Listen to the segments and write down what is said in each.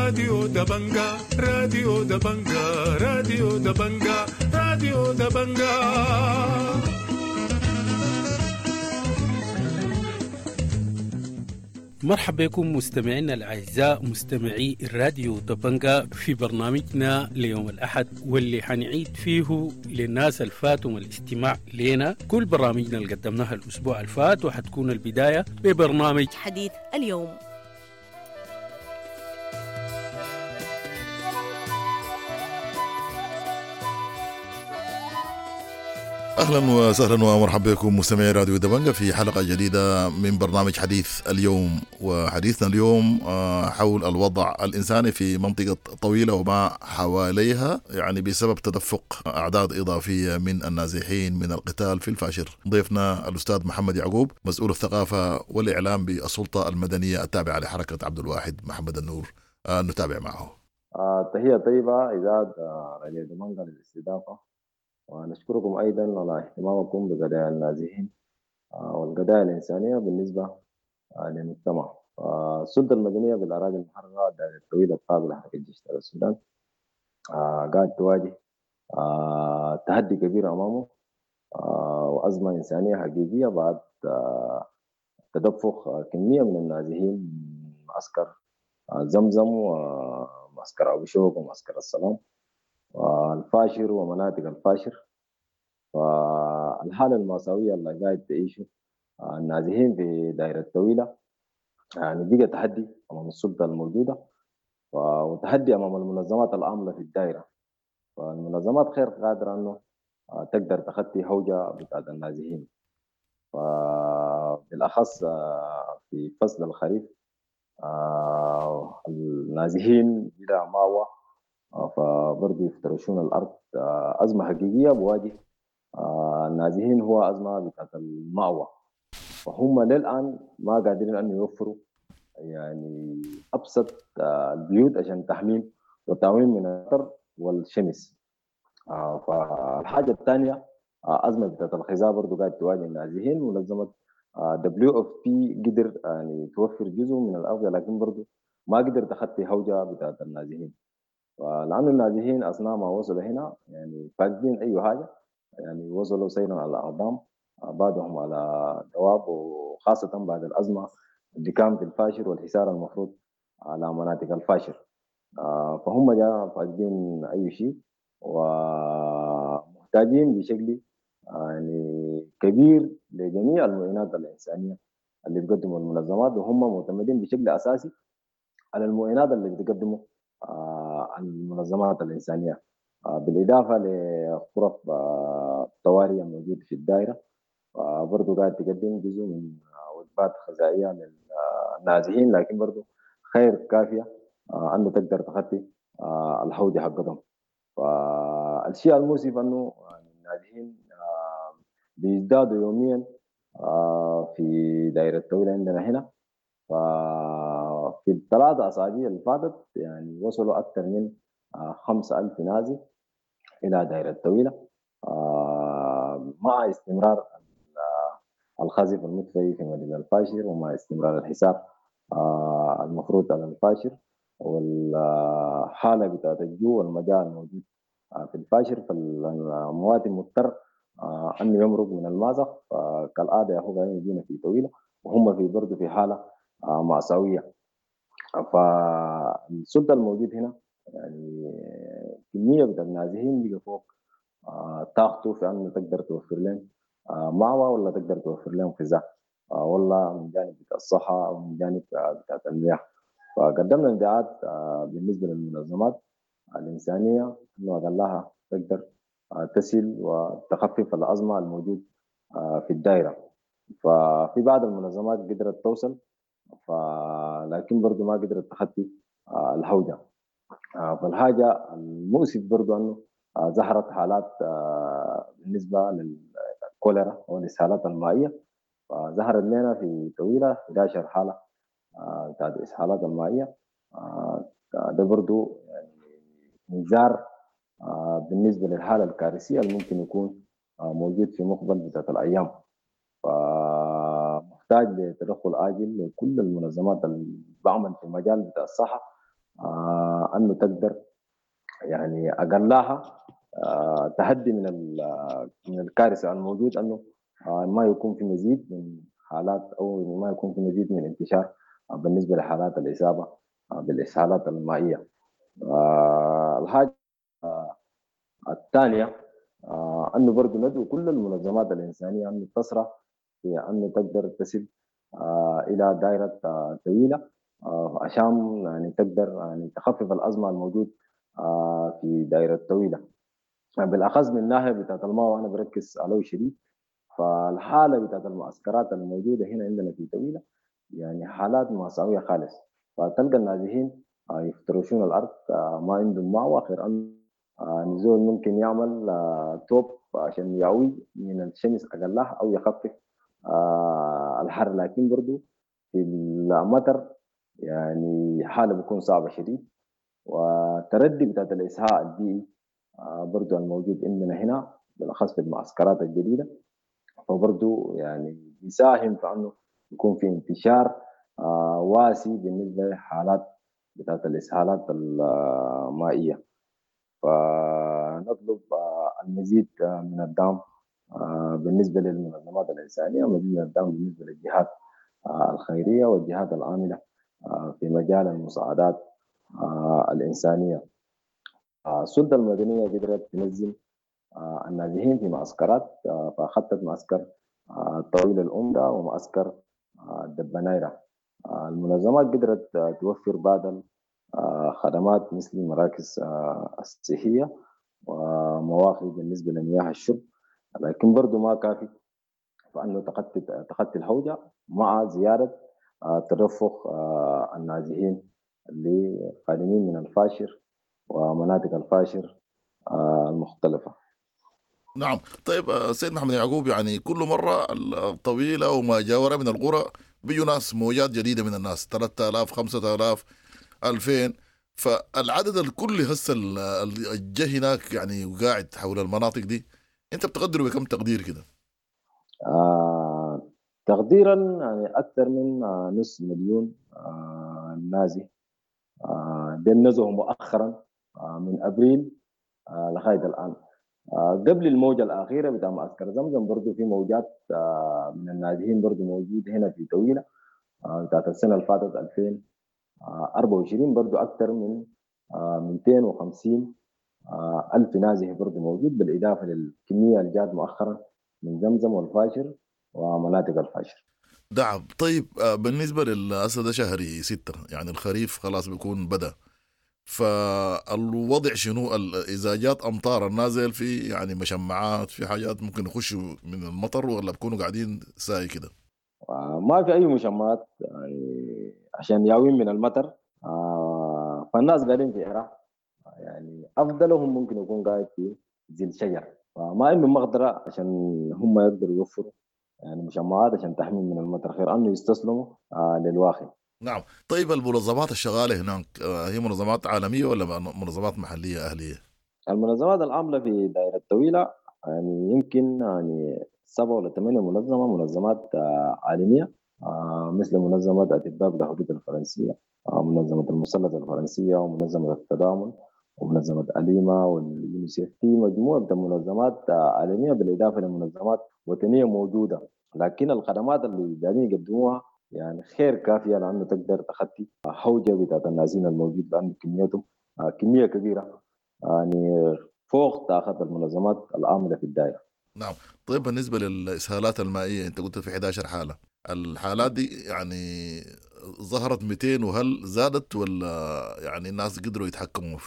راديو دبنجا، راديو دبنجا، راديو دبنجا، راديو دبنجا. مرحبا بكم مستمعينا الأعزاء مستمعي الراديو دبنجا في برنامجنا ليوم الأحد، واللي حنعيد فيه للناس الفاتهم الاستماع لنا كل برامجنا اللي قدمناها الأسبوع الفات، وحتكون البداية ببرنامج حديث اليوم. اهلا وسهلا ومرحبا بكم مستمعي راديو دبنجة في حلقة جديدة من برنامج حديث اليوم. وحديثنا اليوم حول الوضع الانساني في منطقة طويلة وما حواليها، يعني بسبب تدفق اعداد اضافية من النازحين من القتال في الفاشر. ضيفنا الاستاذ محمد يعقوب، مسؤول الثقافة والاعلام بالسلطة المدنية التابعة لحركة عبد الواحد محمد النور. نتابع معه. تحية طيبة اذاعة راديو دبنجة للاستضافه، ونشكركم أيضا على اهتمامكم بقضايا النازحين والقضايا الإنسانية بالنسبة للمجتمع. السلطة المدنية بالأراضي المحررة الدائرة الطويلة التابعة لحركة جيش السودان قاعد تواجه تحدي كبير أمامه وأزمة إنسانية حقيقية بعد تدفق كمية من النازحين من معسكر زمزم ومعسكر أبو شوك ومعسكر السلام والفاشر ومناطق الفاشر. فالحالة المأساوية اللي قاعد تعيشه النازحين في دائرة طويلة يعني بقى تحدي أمام السلطة الموجودة وتحدي أمام المنظمات العاملة في الدائرة. فالمنظمات غير قادرة أنه تقدر تخطي هوجة بتاعت النازحين، فبالأخص في فصل الخريف النازحين بلا مأوى، فبرضه يفترشون الأرض. أزمة حقيقية بواجه النازحين هو أزمة بتاعت المأوى، فهم للآن ما قادرين أن يوفروا يعني أبسط البيوت عشان تحميم وتعويم من المطر والشمس. فالحاجة الثانية أزمة بتاعت الغذاء برضه قاعد تواجه النازحين. منظمة WFP قدر يعني توفر جزء من الأغذية، لكن برضه ما قدر تخطي هوجة بتاعت النازحين. فلأن النازحين أثناء ما وصلوا هنا يعني فاقدين أي حاجة، يعني وصلوا سيرا على الأقدام، بعضهم على دواب، وخاصة بعد الأزمة اللي كان في الفاشر والحصار المفروض على مناطق الفاشر. فهم جاء فاقدين أي شيء ومحتاجين بشكل يعني كبير لجميع المعينات الإنسانية اللي بتقدمها المنظمات، وهم معتمدين بشكل أساسي على المعينات اللي بتقدمه المنظمات الإنسانية، بالإضافة لغرف الطوارئ الموجودة في الدائرة. برضو قاعد تقدم جزء من وجبات غذائية للنازحين، لكن برضو خير كافية أنه تقدر تغطي الحوجة حقتهم. فالشيء المؤسف أنه النازحين بيزدادوا يوميا في دائرة الطويلة عندنا هنا. ففي الثلاثة أسابيع اللي فاتت يعني وصلوا أكثر من 5000 نازح إلى دائرة الطويلة، مع استمرار الخزف المدفعي في مدينة الفاشر، ومع استمرار الحساب المفروض على الفاشر، والحالة بتاعت الجوع والمجاعة الموجود في الفاشر. فالمواطن مضطر أنه يمرق من المازق، فكالعادة ياخذ يجينا في طويلة، وهم في برضه في حالة مأساوية. فالسلطة الموجود هنا يعني كمية من النازحين بقى فوق طاقته في أنه تقدر توفر لهم مأوى، ولا تقدر توفر لهم غذاء، ولا من جانب بتاع الصحة أو من جانب بتاع المياه. فقدمنا نداءات بالنسبة للمنظمات الإنسانية أنه أقلها تقدر تسل وتخفف الأزمة الموجود في الدائرة. ففي بعض المنظمات قدرت توصل، لكن برضو ما قدرت تخطي الهوجة. فالحاجة المؤسف برضو أنه ظهرت حالات بالنسبة للكوليرا والإسهالات المائية، فظهرت لنا في طويلة 11 حالة بتاعت الإسهالات المائية. ده برضو يعني انذار بالنسبة للحالة الكارثية اللي ممكن يكون موجود في مقبل بتاعت الأيام. فمحتاج لتدخل عاجل لكل المنظمات اللي بعمل في المجال بتاع الصحة. أنه تقدر يعني أقلها تهدي من الكارثة الموجود، أنه ما يكون في مزيد من حالات أو ما يكون في مزيد من انتشار بالنسبة لحالات الإصابة بالإسهالات المائية. الحاجة الثانية أنه برضو ندعو كل المنظمات الإنسانية أنه تسرع في أنه تقدر تصل إلى دائرة طويلة عشان يعني تقدر يعني تخفف الأزمة الموجود في دائرة طويلة، بالأخص من ناحية بتاعت الماء. وأنا بركز عليه شديد. فالحالة بتاعت المعسكرات الموجودة هنا عندنا في طويلة يعني حالات مأساوية خالص. فتلقى النازحين يفترشون الأرض، ما عندهم مأوى غير أن نزول ممكن يعمل توب عشان يعوي من الشمس أقلها أو يخفف الحر، لكن برضو في المطر يعني حالة بتكون صعبة شديد. والتردي بتاعت الإسهال البيئي برضو الموجود عندنا هنا بالأخص في المعسكرات الجديدة، فبرضو يعني بيساهم في أنه يكون في انتشار واسع بالنسبة لحالات بتاعت الإسهالات المائية. فنطلب المزيد من الدعم بالنسبة للمنظمات الإنسانية، ومزيد من الدعم بالنسبة للجهات الخيرية والجهات العاملة في مجال المساعدات الإنسانية. السلطة المدنية قدرت تنزل النازحين في معسكرات، فأخذت معسكر طويل الأمدة ومعسكر دبنايرة. المنظمات قدرت توفر بعض الخدمات مثل المراكز الصحية ومواقف بالنسبة لمياه الشرب، لكن برضو ما كافي فأنه تخطي الهوجة مع زيادة تدفق النازحين اللي قادمين من الفاشر ومناطق الفاشر المختلفة. نعم. طيب سيد محمد يعقوب، يعني كل مرة الطويلة وما جاورها من القرى بيجوا ناس، موجات جديدة من الناس، 3000 5000 2000، فالعدد الكلي هسه الجه هناك يعني وقاعد حول المناطق دي، انت بتقدره بكم تقدير كده؟ تقديرا يعني اكثر من 500,000 نازح دول نزحوا مؤخرا من ابريل لغاية الان. قبل الموجه الاخيرة بتاع معسكر زمزم برضو في موجات من النازحين برضو موجود هنا في طويلة بتاعت السنة اللي فاتت 2024، برضو اكثر من 250 ألف نازح برضو موجود، بالإضافة للكمية اللي جات مؤخرا من زمزم والفاشر ومناطق الفاشر. دعم. طيب بالنسبة للأسد شهري 6 يعني الخريف خلاص بيكون بدأ، فالوضع شنو؟ إذا جات أمطار النازل في يعني مشمعات، في حاجات ممكن يخشوا من المطر، ولا بيكونوا قاعدين ساي كده؟ ما في أي مشمعات يعني عشان ياوين من المطر، فالناس قاعدين في عراق، يعني أفضلهم ممكن يكون قاعد في زي الشجر، فما عندهم مقدرة عشان هم يقدروا يوفروا يعني مشمعات عشان تحمي من المطر، خير أنه يستسلموا للواقع. نعم. طيب المنظمات الشغالة هناك هي منظمات عالمية ولا منظمات محلية أهلية؟ المنظمات العاملة في دائرة طويلة يعني يمكن يعني 7 ولا 8 منظمة، منظمات عالمية مثل منظمة أطباء بلا حدود الفرنسية، منظمة المثلث الفرنسية، ومنظمة التضامن، ومنظمة أليما واليونيسيف. في مجموعة من المنظمات عالمية بالإضافة لمنظمات وطنية موجودة، لكن الخدمات اللي قاعدين يقدموها يعني خير كافية لأنه تقدر تخطي حوجة بتاعت النازحين الموجود، لأنه كميتهم كمية كبيرة يعني فوق طاقة المنظمات العاملة في الدائرة. نعم. طيب بالنسبة للإسهالات المائية، أنت قلت في 11 حالة، الحالات دي يعني ظهرت 200، وهل زادت ولا يعني الناس قدروا يتحكموا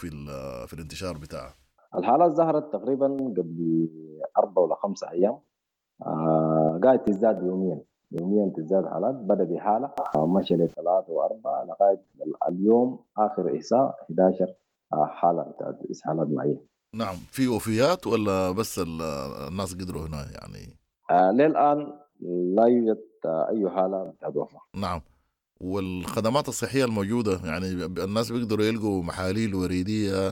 في الانتشار بتاعها؟ الحالات ظهرت تقريبا قبل 4 ولا 5 أيام، قاعد تزداد يوميا تزداد حالات. بدأ بحالة مشى ل3 و4 لغاية اليوم آخر إحصاء 11 حالة بتاعت إسهالات مائية. نعم. في وفيات ولا بس الناس قدروا هنا يعني؟ للآن لا يوجد أي حالة بتاعت وفاة. نعم. والخدمات الصحية الموجودة يعني الناس بيقدروا يلقوا محاليل وريدية،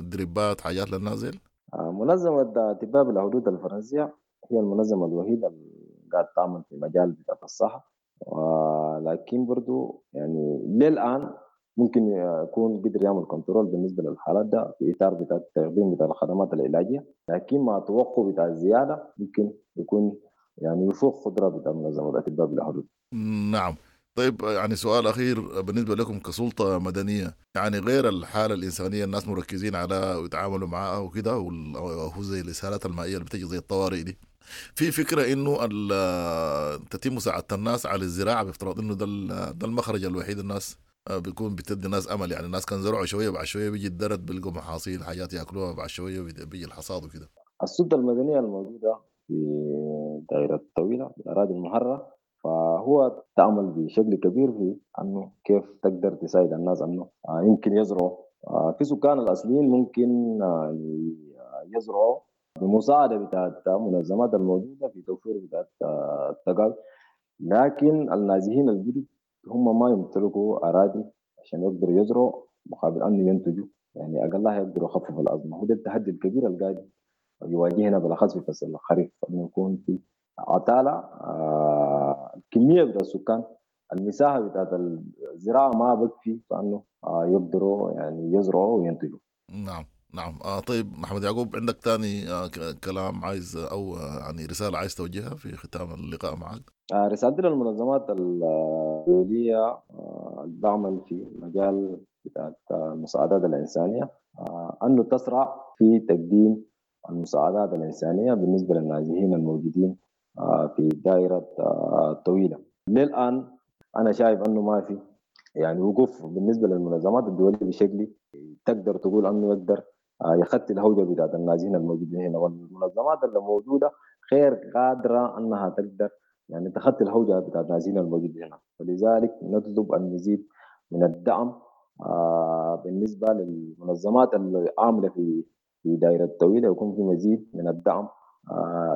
دريبات، حاجات للنازل؟ منظمة أطباء بلا حدود الفرنسية هي المنظمة الوحيدة اللي قاعد تعمل في مجال بتاع الصحة، ولكن برضو يعني للآن ممكن يكون قدر يعمل control بالنسبة للحالات ده في اطار بتاع التقديم بتاع الخدمات العلاجية، لكن مع توقع بتاع الزيادة ممكن يكون يعني يفوق قدره بتاع منظمة الاطباء بلا حدود. نعم. طيب يعني سؤال أخير بالنسبة لكم كسلطة مدنية، يعني غير الحالة الإنسانية الناس مركزين على ويتعاملوا معها وكده، وهو زي الإسهالات المائية اللي بتجي زي الطوارئ دي، في فكرة إنه تتم مساعدة الناس على الزراعة بافتراض إنه ده المخرج الوحيد، الناس بيكون بتدي الناس أمل، يعني الناس كان زرعوا شوية بعد شوية بيجي الدرد بيلقوا محاصيل حاجات ياكلوها، بعد شوية بيجي الحصاد وكده. السلطة المدنية الموجودة في دائرة طويلة في الأراضي المحررة فهو تعمل بشكل كبير في أنه كيف تقدر تساعد الناس أنه يمكن يزرعوا. في سكان الأصليين ممكن يزرعوا بمساعدة بتاعت المنظمات الموجودة في توفير بتاعت التقاوي، لكن النازحين الجدد هم ما يمتلكوا أراضي عشان يقدروا يزرعوا مقابل أنه ينتجوا، يعني أقلها يقدروا يخففوا الأزمة. هو ده التحدي الكبير اللي قاعد يواجهنا بالأخص في فصل الخريف، أنه يكون في عطالة الكمية بتاع السكان، المساحة بتاعت الزراعة ما بكفي فأنه يقدروا يعني يزرعوا وينتجوا. نعم نعم. طيب محمد يعقوب، عندك تاني كلام عايز أو يعني رسالة عايز توجهها في ختام اللقاء معك؟ رسالتي للمنظمات الدولية اللي بعمل في مجال بتاعت المساعدات الإنسانية أنه تسرع في تقديم المساعدات الإنسانية بالنسبة للنازحين الموجودين في دائرة طويلة. للآن أنا شايف أنه ما في يعني وقوف بالنسبة للمنظمات الدولية بشكل تقدر تقول أنه يقدر يخطي الهوجة بتاعت النازحين الموجودين هنا، والمنظمات اللي موجودة غير قادرة أنها تقدر يعني تخطي الهوجة بتاعت النازحين الموجودين هنا. فلذلك نطلب المزيد من الدعم بالنسبة للمنظمات اللي عاملة في دائرة طويلة، يكون في مزيد من الدعم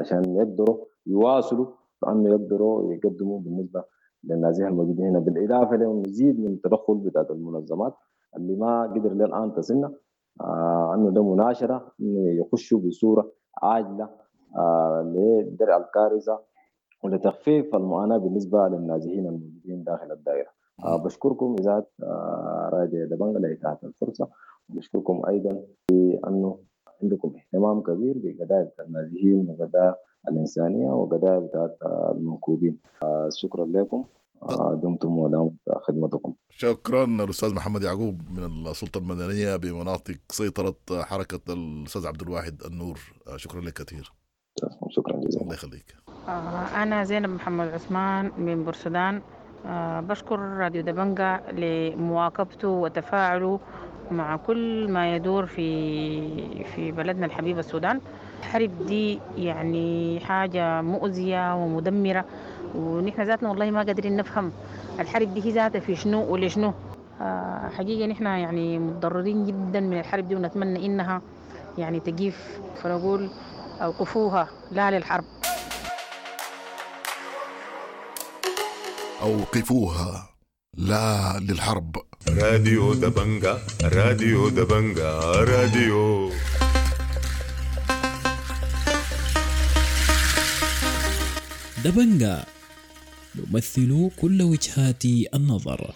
عشان يقدروا يواصلوا بأنه يقدروا يقدموا بالنسبة للنازحين الموجودين هنا، بالإضافة لمزيد من التدخل بتاعت المنظمات اللي ما قدر للآن تصلنا أنه ده مناشرة إنه يخشوا بصورة عاجلة لدرء الكارثة ولتخفيف المعاناة بالنسبة للنازحين الموجودين داخل الدائرة. بشكركم إذاعة راديو دبنجا لإتاحة الفرصة، وبشكركم أيضا بأنه عندكم اهتمام كبير بقضايا النازحين وقضايا الإنسانية وقضايا بتاعت المنكوبين. شكرا لكم، دمتم ودامت خدمتكم. شكرا الأستاذ محمد يعقوب من السلطة المدنية بمناطق سيطرة حركة الأستاذ عبد الواحد النور، شكرا لك كثير. شكرا جزيلا، الله يخليك. أنا زينب محمد عثمان من بورسودان. بشكر راديو دبنجا لمواكبته وتفاعله مع كل ما يدور في بلدنا الحبيب السودان. الحرب دي يعني حاجة مؤذية ومدمرة، ونحن ذاتنا والله ما قادرين نفهم الحرب دي هي ذاتها في شنو ولشنو. حقيقة نحن يعني متضررين جدا من الحرب دي، ونتمنى إنها يعني تقيف، فنقول أوقفوها، لا للحرب. أوقفوها، لا للحرب. راديو دبنجا، راديو دبنجا، راديو دبنجا، نمثل كل وجهات النظر.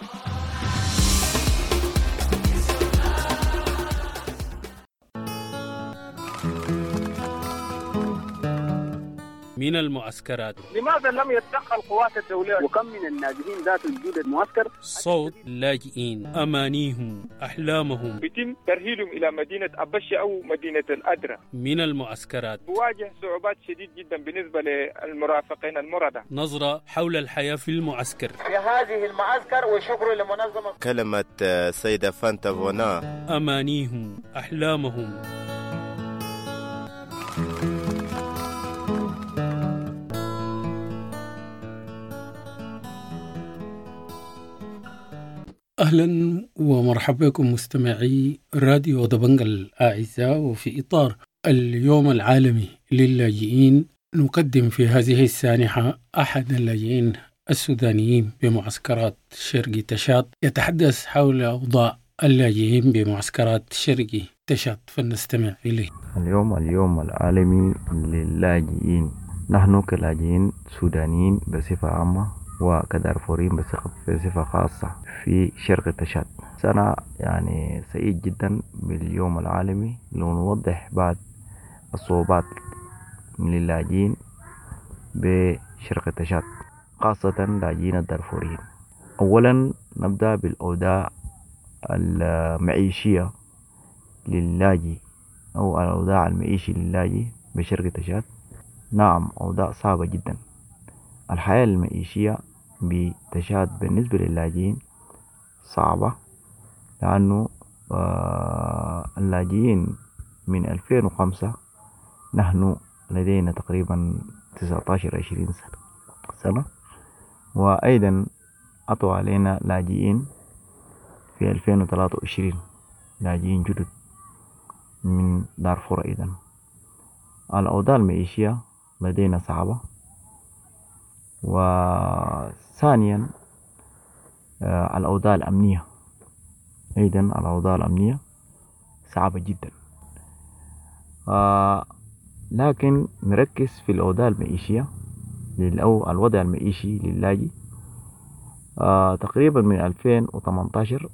من المعسكرات، لماذا لم يتدخل قوات الدولية؟ وكم من النازحين ذات وجود المعسكر؟ صوت اللاجئين، أمانيهم، أحلامهم، يتم ترهيلهم إلى مدينة أبشة أو مدينة الأدرة. من المعسكرات بواجه صعوبات شديد جدا بالنسبة للمرافقين المرضى. نظرة حول الحياة في المعسكر، في هذه المعسكر، وشكر لمنظمة. كلمة سيدة فانتا فونا، أمانيهم، أحلامهم. أهلا ومرحبا بكم مستمعي راديو دبنجا الأعزاء، وفي إطار اليوم العالمي للاجئين نقدم في هذه السانحة أحد اللاجئين السودانيين بمعسكرات شرقي تشاد يتحدث حول أوضاع اللاجئين بمعسكرات شرقي تشاد، فلنستمع إليه. اليوم العالمي للاجئين، نحن كلاجئين سودانيين بصفة عامة وكدارفوريين بصفة خاصة في شرق تشاد. سنة يعني سعيد جدا باليوم العالمي لنوضح بعض الصعوبات للاجئين بشرق تشاد، خاصة اللاجئين الدارفوريين. أولا نبدأ بالأوضاع المعيشية للاجئ أو الأوضاع المعيشي للاجئ بشرق تشاد. نعم، أوضاع صعبة جدا. الحياة المعيشية بتشاد بالنسبة للاجئين صعبة، لأنه اللاجئين من 2005 نحن لدينا تقريبا 19-20 سنة، وأيضا أتوا علينا لاجئين في 2023، لاجئين جدد من دارفور. أيضا الأوضاع المعيشية لدينا صعبة. وثانيا الأوضاع الأمنية، أيضا الأوضاع الأمنية صعبة جدا. لكن نركز في الأوضاع المعيشية أو الوضع المعيشي للاجئ. تقريبا من 2018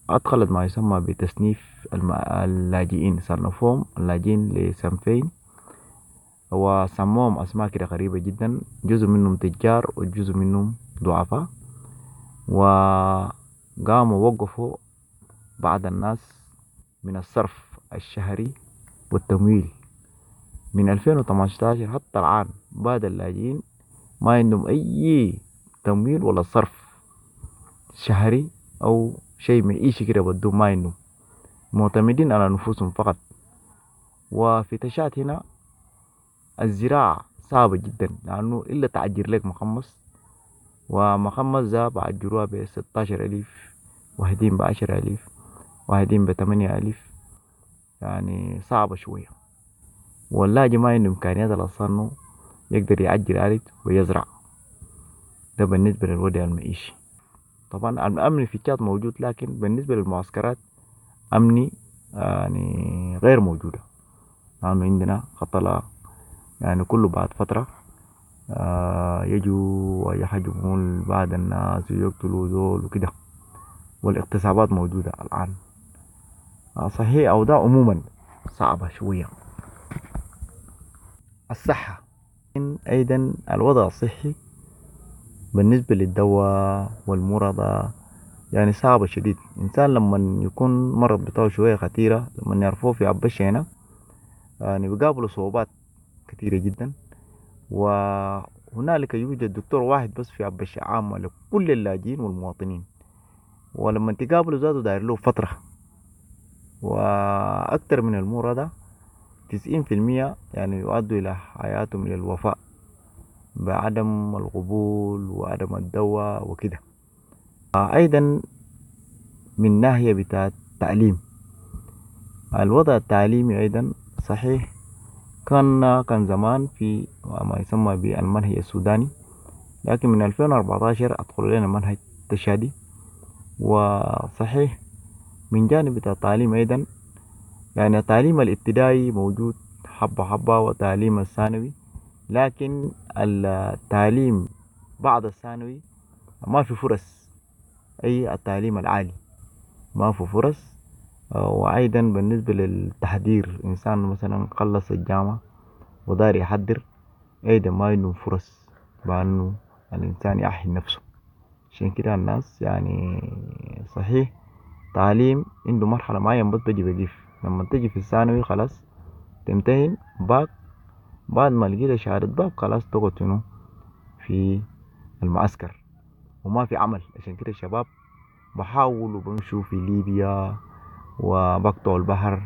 أدخلت ما يسمى بتصنيف اللاجئين، صنفوهم اللاجئين لصنفين وسموهم أسماء كده غريبة جدا، جزء منهم تجار وجزء منهم ضعفاء. وقاموا وقفوا بعض الناس من الصرف الشهري والتمويل من 2018 حتى الآن. بعض اللاجئين ما عندهم أي تمويل ولا صرف شهري أو شيء معيشي كده بدون، ما عندهم، معتمدين على نفوسهم فقط. وفي تشاد هنا الزراعة صعبة جدا، لأنه إلا تأجر لك مخمص، ومخمص ذا بأجروها ب16,000، واحدين ب10,000، واحدين ب8,000، يعني صعبة شوية. واللاجئ ما عنده إمكانيات أصلا يقدر يأجر أرض ويزرع. ده بالنسبة للوضع المعيشي. طبعا الأمن في تشاد موجود، لكن بالنسبة للمعسكرات أمني يعني غير موجودة، لأنه عندنا قتلة يعني كله بعد فترة يجوا ويهجمون بعض الناس ويقتلوا زول وكده، والاغتصابات موجودة الآن. صحيح أوضاع عموما صعبة شوية. الصحة أيضا، الوضع الصحي بالنسبة للدواء والمرضى يعني صعبة شديد. إنسان لما يكون مرض بتاعه شوية خطيرة، لما يعرفوه في عبشة هنا يعني بيقابلوا صعوبات كثيرة جدا. وهنالك يوجد دكتور واحد بس في عبشة عامة لكل اللاجئين والمواطنين، ولما تقابله ذاته داير له فترة. وأكثر من المرضى 90% يعني يؤدوا إلى حياتهم إلى الوفاة بعدم القبول وعدم الدواء وكده. أيضا من ناحية بتاع التعليم، الوضع التعليمي أيضا صحيح كان زمان في ما يسمى بالمنهج السوداني، لكن من 2014 أدخلوا لنا منهج تشادي. وصحيح من جانب بتاع التعليم أيضا يعني التعليم الابتدائي موجود حبة حبة وتعليم الثانوي، لكن التعليم بعد الثانوي ما في فرص، أي التعليم العالي ما في فرص. وأيضا بالنسبة للتحضير، إنسان مثلا خلص الجامعة ودار يحضر أيضا ما عنده فرص بأنه الإنسان يأهل نفسه. عشان كده الناس يعني صحيح تعليم عنده مرحلة معينة بس بيجي بيقف، لما تجي في الثانوي خلاص تمتهن باك، بعد ما لقيت شهادة باك خلاص تقعد شنو في المعسكر وما في عمل. عشان كده الشباب بحاولوا بمشوا في ليبيا وبقطعوا البحر،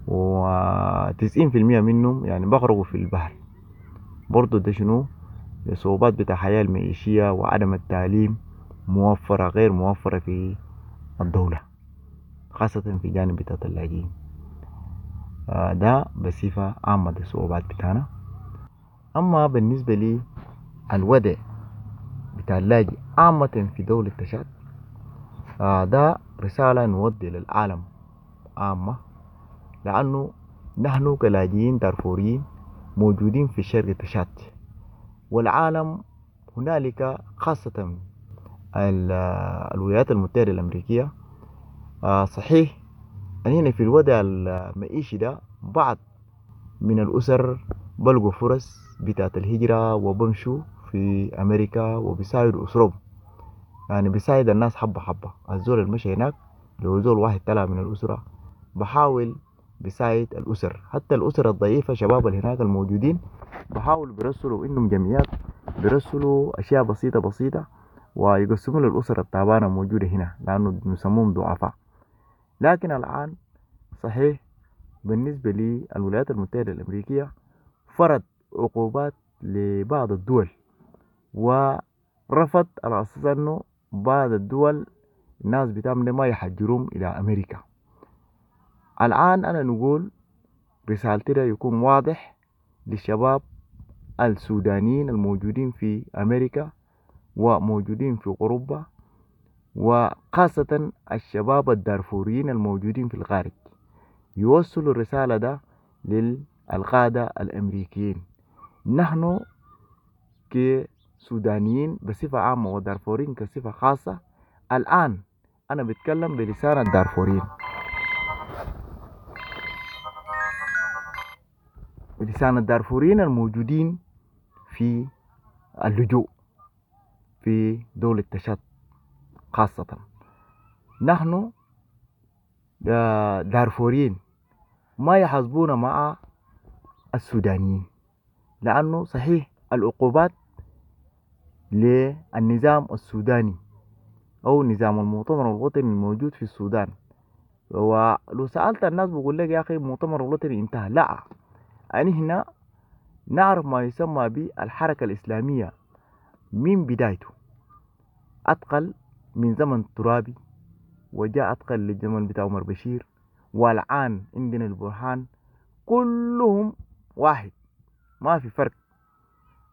و90% منهم يعني بغرقوا في البحر. برضو ده شنو الصعوبات بتاع الحياة المعيشية وعدم التعليم موفرة غير موفرة في الدولة، خاصة في جانب بتاع اللاجئين. ده بصفة عامة دي الصعوبات بتاعنا. أما بالنسبة لي الوضع بتاع اللاجئ عامة في دولة تشاد، ده رسالة نودي للعالم عامة، لأنه نحن كلاجئين دارفوريين موجودين في شرق تشاد، والعالم هنالك خاصة الولايات المتحدة الأمريكية، صحيح أننا في الوضع المعيشي ده بعض من الأسر بلقوا فرص بتاعت الهجرة وبمشوا في أمريكا وبيساعدوا أسرهم، يعني بيساعد الناس حبة حبة. الزول المشي هناك لو زول واحد طلع من الأسرة بحاول بيساعد الأسر، حتى الأسر الضعيفة شباب اللي هناك الموجودين بحاولوا بيرسلوا إنهم جمعيات، بيرسلوا أشياء بسيطة بسيطة ويقسموا للأسر التعبانة الموجودة هنا لأنه بيسموهم ضعفاء. لكن الآن صحيح بالنسبة للولايات المتحدة الأمريكية فرض عقوبات لبعض الدول ورفض على أساس أنه بعض الدول الناس بتعمل ما يحجرهم إلى أمريكا. الآن أنا نقول رسالتي ده يكون واضح للشباب السودانيين الموجودين في أمريكا وموجودين في أوروبا، وخاصة الشباب الدارفوريين الموجودين في الخارج، يوصلوا الرسالة ده للقادة الأمريكيين. نحن كسودانيين بصفة عامة ودارفوريين كصفة خاصة، الآن أنا بتكلم بلسان الدارفوريين، بلسان الدارفوريين الموجودين في اللجوء في دولة تشاد خاصة. نحن دارفوريين ما يحاسبونا مع السودانيين، لأنه صحيح العقوبات للنظام السوداني أو نظام المؤتمر الوطني الموجود في السودان، ولو سألت الناس بقول لك يا أخي المؤتمر الوطني انتهى. لا، أنا هنا نعرف ما يسمى بالحركة الإسلامية من بدايته، أتقل من زمن ترابي وجاء أتقل للزمن بتاع عمر بشير، والآن عندنا البرهان، كلهم واحد ما في فرق،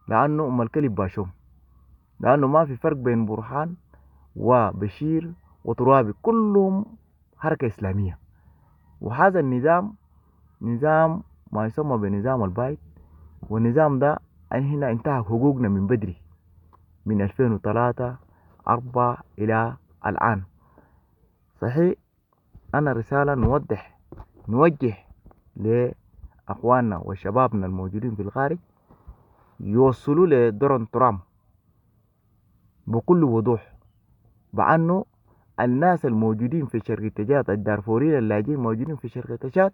لأنه أم الكلب باشوم، لأنه ما في فرق بين برهان وبشير وترابي، كلهم حركة إسلامية. وهذا النظام نظام ما يسمى بنظام البايد، والنظام ده هنا انتهى حقوقنا من بدري من 2003-4 إلى الآن. صحيح أنا رسالة نوجه لأخواننا وشبابنا الموجودين في الخارج يوصلوا لدونالد ترامب بكل وضوح بأنه الناس الموجودين في شرق تشاد، الدارفوريين اللاجئين الموجودين في شرق تشاد،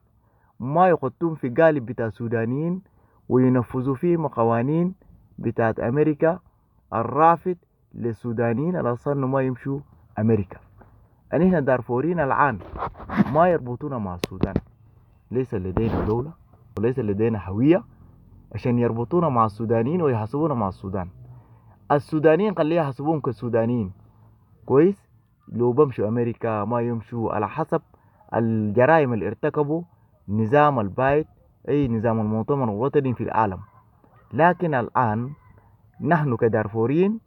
ما يحطون في قالب بتاع سودانيين وينفذوا فيهم قوانين بتاعت أمريكا الرافض للسودانيين على أساس إنه ما يمشوا أمريكا. أن إحنا دارفوريين الآن ما يربطونا مع السودان، ليس لدينا دولة وليس لدينا هوية عشان يربطونا مع السودانيين ويحاسبونا مع السودان. السودانيين خليه يحاسبوهم كسودانيين كويس، لو بمشوا أمريكا ما يمشوا على حسب الجرائم اللي ارتكبوا نظام البايد أي نظام المؤتمر الوطني في العالم. لكن الآن نحن كدارفوريين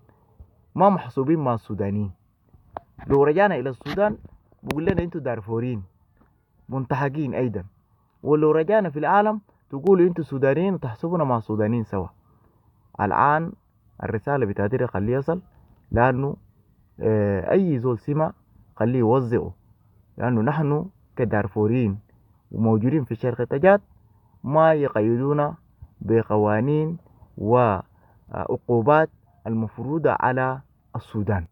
ما محسوبين مع السودانيين. لو رجعنا إلى السودان بقول لنا أنتوا دارفوريين منتهكين أيضا، ولو رجعنا في العالم تقولوا أنتوا سودانيين وتحسبونا مع السودانيين سوا. الآن الرسالة بتاعتي خليه يصل، لأنه أي زول سمع خليه يوزعه، لأنه نحن كدارفوريين وموجودين في شرق تشاد ما يقيدونا بقوانين وعقوبات المفروضة على السودان.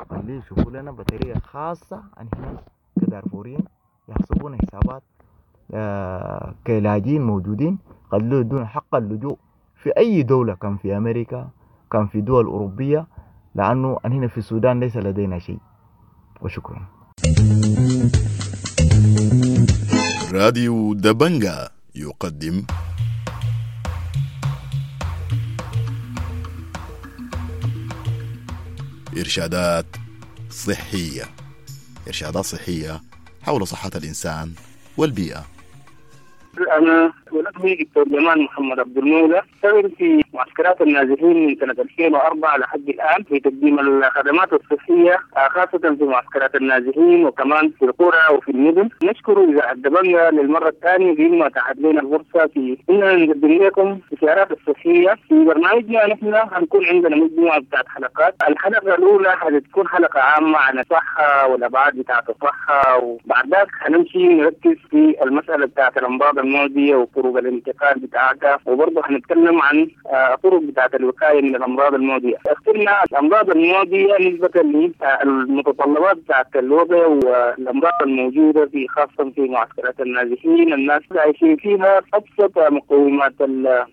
خليه يشوفوا لنا بطريقة خاصة عن هنا كدارفوريين يحسبون حسابات كلاجئين موجودين، خلوه يدون حق اللجوء في أي دولة، كان في أمريكا كان في دول أوروبية، لأنه هنا في السودان ليس لدينا شيء. وشكرا. راديو دبنجا يقدم إرشادات صحية، إرشادات صحية حول صحة الإنسان والبيئة. أنا ولكم دكتور جمال محمد عبد المولى، اشتغل في معسكرات النازحين من سنة 2004 لحد الآن في تقديم الخدمات الصحية خاصة في معسكرات النازحين وكمان في القرى وفي المدن. نشكر إذاعة دبنجة للمرة الثانية بما اتاحت لنا الفرصة في إننا نقدم لكم استشارات الصحية في برنامجنا. نحن هنكون عندنا مجموعة بتاعت حلقات. الحلقة الأولى حتكون حلقة عامة عن الصحة والأبعاد بتاعت الصحة، وبعد ذاك هنمشي نركز في المسألة بتاعت الأمراض المعدية وطرق الانتقال بتاعتها، وبرضه هنتكلم عن طرق بتاعت الوقاية من الأمراض المعدية. اخترنا الأمراض المعدية نسبة للمتطلبات بتاعت الوضع والأمراض الموجودة في خاصة في معسكرات النازحين، الناس عايشين فيها أبسط مقومات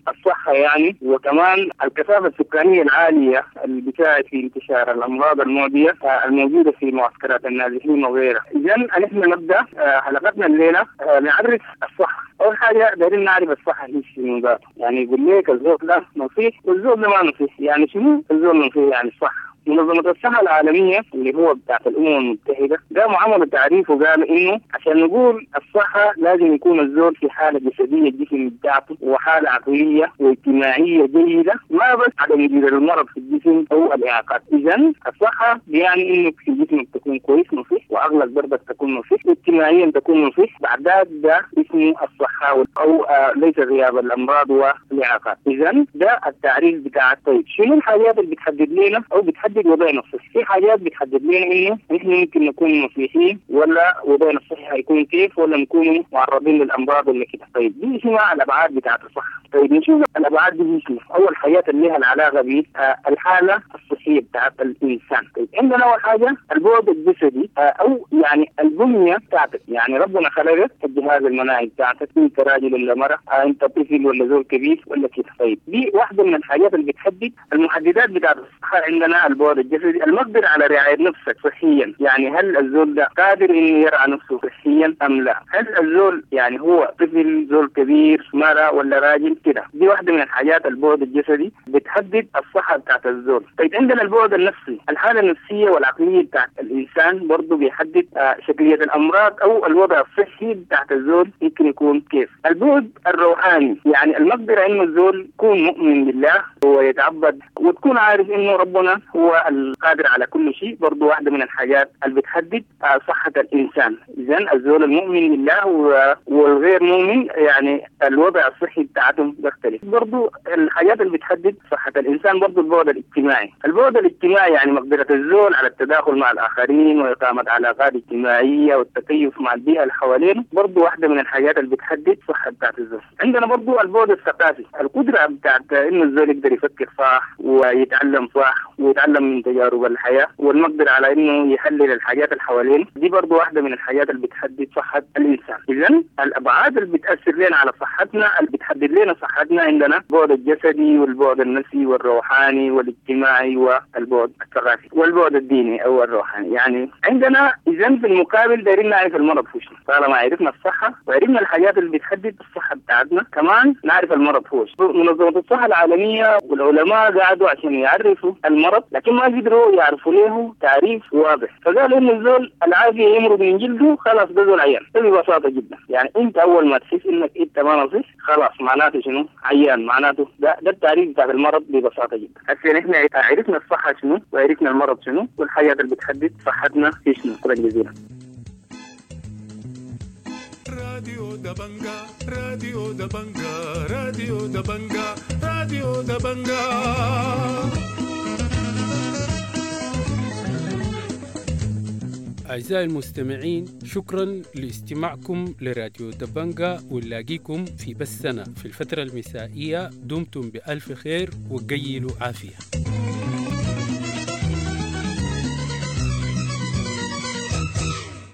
الصحة يعني، وكمان الكثافة السكانية العالية اللي بتساعد في انتشار الأمراض المعدية الموجودة في معسكرات النازحين وغيرها. إذا نحن نبدأ حلقتنا الليلة نعرف الصحة. أول حاجة دايرين نعرف الصحة هي شنو ذاته، يعني يقول لك الزول ده نصيح والزول ده ما نصيح، يعني شنو الزول نصيح؟ يعني الصحة. منظمة الصحة العالمية اللي هو بتاعت الأمم المتحدة قاموا عملوا تعريف وقالوا إنه عشان نقول الصحة لازم يكون الزول في حالة جسدية الجسم بتاعته وحالة عقلية واجتماعية جيدة، ما بس عدم وجود المرض في الجسم أو الإعاقات. إذا الصحة يعني إنه في جسمك تكون كويس نصيح، وعقلك برضك تكون نصيح، واجتماعيا تكون نصيح، بعد ده اسمه الصحة أو ليس غياب الأمراض والإعاقات. إذا ده التعريف بتاع. طيب شنو الحاجات اللي بتحدد لنا أو بتحدد وضعنا الصحي؟ في حاجات بتحدد لنا انه نحن ممكن نكون نصيحين ولا وضعنا الصحي هيكون كيف، ولا نكون معرضين للامراض ولا كده. طيب دي اسمها الابعاد بتاعت الصحة. طيب نشوف الابعاد دي شنو. اول حاجات اللي لها العلاقة بالحالة الصحية بتاعت الانسان. طيب عندنا اول حاجة البعد الجسدي او يعني البنية بتاعتك، يعني ربنا خلقك الجهاز المناعي بتاعتك، انت راجل ولا مرأة، انت طفل ولا زول كبير ولا كده. طيب دي واحدة من الحاجات اللي بتحدد المحددات بتاعت الصحة. عندنا البعد الجسدي، المقدرة على رعاية نفسك صحيا، يعني هل الزول ده قادر انه يرعى نفسه صحيا ام لا؟ هل الزول يعني هو طفل، زول كبير، مرأة ولا راجل كده؟ دي واحدة من الحاجات البعد الجسدي بتحدد الصحة بتاعت الزول. طيب عندنا البعد النفسي، الحالة النفسية والعقلية بتاعت الإنسان برضه بيحدد شكلية الأمراض أو الوضع الصحي بتاعت الزول ممكن يكون كيف. البعد الروحاني، يعني المقدرة إنه الزول يكون مؤمن بالله ويتعبد وتكون عارف إنه ربنا هو القادر على كل شيء، برضو واحدة من الحاجات اللي بتحدد صحة الإنسان. إذن الزول المؤمن بالله والغير مؤمن يعني الوضع الصحي بتاعتهم بيختلف. برضو الحاجات اللي بتحدد صحة الإنسان برضو البعد الاجتماعي. البعد الاجتماعي يعني مقدرة الزول على التداخل مع الآخرين وإقامة علاقات اجتماعية والتكيف مع البيئة اللي حوالينه، برضو واحدة من الحاجات اللي بتحدد صحة بتاعت الزول. عندنا برضو البعد الثقافي، القدرة بتاعت إنه الزول يقدر يفكر صح ويتعلم صح ويتعلم من تجارب الحياة والمقدرة على إنه يحلل الحاجات اللي حوالينه، دي برضو واحدة من الحاجات اللي بتحدد صحة الإنسان. إذن الأبعاد اللي بتأثر لنا على صحتنا، اللي بتحدد لنا صحتنا، عندنا البعد الجسدي والبعد النفسي والروحاني والاجتماعي والبعد الثقافي والبعد الديني أو الروحاني. يعني عندنا إذن في المقابل دايرين نعرف المرض هو شنو. طالما عرفنا الصحة وعرفنا الحاجات اللي بتحدد الصحة بتاعتنا، كمان نعرف المرض هو شنو. منظمة الصحة العالمية والعلماء قعدوا عشان يعرفوا المرض، لكن ما قدروا يعرفوا له تعريف واضح. فقالوا إن الزول العافية يمرض من جلده، خلاص ده زول عيان. ببساطة جدا، يعني أنت أول ما تحس إنك أنت ما نصيح خلاص معناته شنو؟ عيان. معناته ده التعريف بتاع المرض ببساطة جدا. هسه نحن عرفنا الصحة شنو وعرفنا المرض شنو والحاجات اللي بتحدد صحتنا في شنو. شكرا جزيلا. راديو دبنجا، راديو دبنجا، راديو دبنجا، راديو دبنجا. أعزائي المستمعين، شكرا لاستماعكم لراديو دبنجا، ونلاقيكم في بثنا في الفترة المسائية. دمتم بألف خير وقيلوا عافية.